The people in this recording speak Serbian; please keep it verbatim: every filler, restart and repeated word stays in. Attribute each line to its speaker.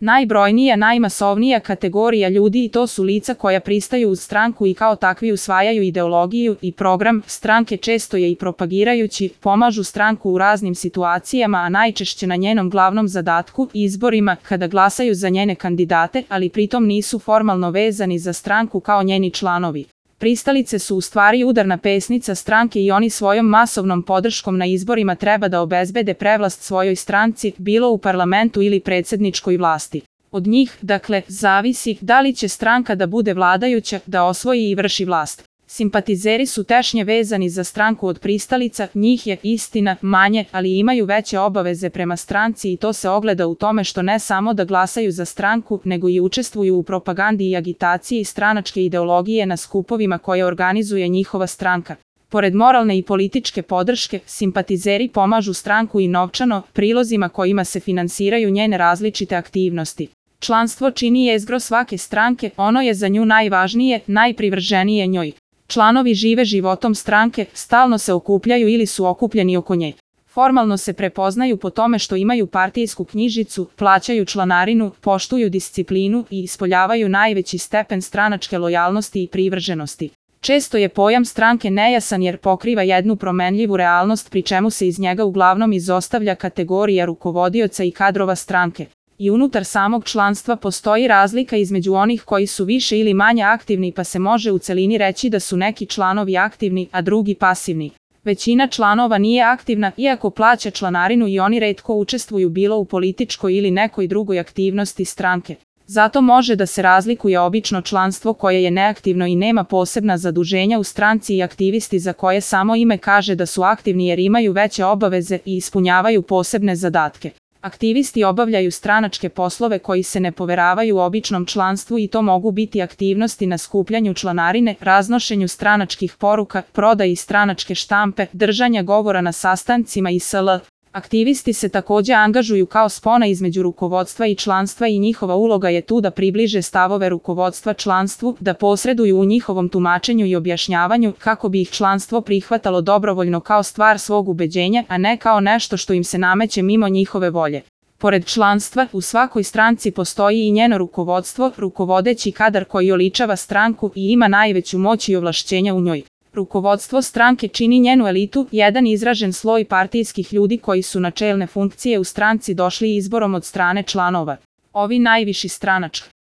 Speaker 1: Najbrojnija, najmasovnija kategorija ljudi i to su lica koja pristaju uz stranku i kao takvi usvajaju ideologiju i program stranke, često je i propagirajući, pomažu stranku u raznim situacijama, a najčešće na njenom glavnom zadatku, izborima, kada glasaju za njene kandidate, ali pritom nisu formalno vezani za stranku kao njeni članovi. Pristalice su u stvari udarna pesnica stranke i oni svojom masovnom podrškom na izborima treba da obezbede prevlast svojoj stranci, bilo u parlamentu ili predsjedničkoj vlasti. Od njih, dakle, zavisi da li će stranka da bude vladajuća, da osvoji i vrši vlast. Simpatizeri su tešnje vezani za stranku od pristalica, njih je, istina, manje, ali imaju veće obaveze prema stranci i to se ogleda u tome što ne samo da glasaju za stranku, nego i učestvuju u propagandi i agitaciji stranačke ideologije na skupovima koje organizuje njihova stranka. Pored moralne i političke podrške, simpatizeri pomažu stranku i novčano, prilozima kojima se finansiraju njene različite aktivnosti. Članstvo čini jezgro svake stranke, ono je za nju najvažnije, najprivrženije njoj. Članovi žive životom stranke, stalno se okupljaju ili su okupljeni oko nje. Formalno se prepoznaju po tome što imaju partijsku knjižicu, plaćaju članarinu, poštuju disciplinu i ispoljavaju najveći stepen stranačke lojalnosti i privrženosti. Često je pojam stranke nejasan jer pokriva jednu promenljivu realnost, pri čemu se iz njega uglavnom izostavlja kategorija rukovodioca i kadrova stranke. I unutar samog članstva postoji razlika između onih koji su više ili manje aktivni, pa se može u celini reći da su neki članovi aktivni, a drugi pasivni. Većina članova nije aktivna, iako plaća članarinu i oni retko učestvuju bilo u političkoj ili nekoj drugoj aktivnosti stranke. Zato može da se razlikuje obično članstvo koje je neaktivno i nema posebna zaduženja u stranci i aktivisti za koje samo ime kaže da su aktivni jer imaju veće obaveze i ispunjavaju posebne zadatke. Aktivisti obavljaju stranačke poslove koji se ne poveravaju običnom članstvu i to mogu biti aktivnosti na skupljanju članarine, raznošenju stranačkih poruka, prodaji stranačke štampe, držanja govora na sastancima i sl. Aktivisti se također angažuju kao spona između rukovodstva i članstva i njihova uloga je tu da približe stavove rukovodstva članstvu, da posreduju u njihovom tumačenju i objašnjavanju kako bi ih članstvo prihvatalo dobrovoljno kao stvar svog ubeđenja, a ne kao nešto što im se nameće mimo njihove volje. Pored članstva, u svakoj stranci postoji i njeno rukovodstvo, rukovodeći kadar koji oličava stranku i ima najveću moć i ovlašćenja u njoj. Rukovodstvo stranke čini njenu elitu, jedan izražen sloj partijskih ljudi koji su na čelne funkcije u stranci došli izborom od strane članova. Ovi najviši stranački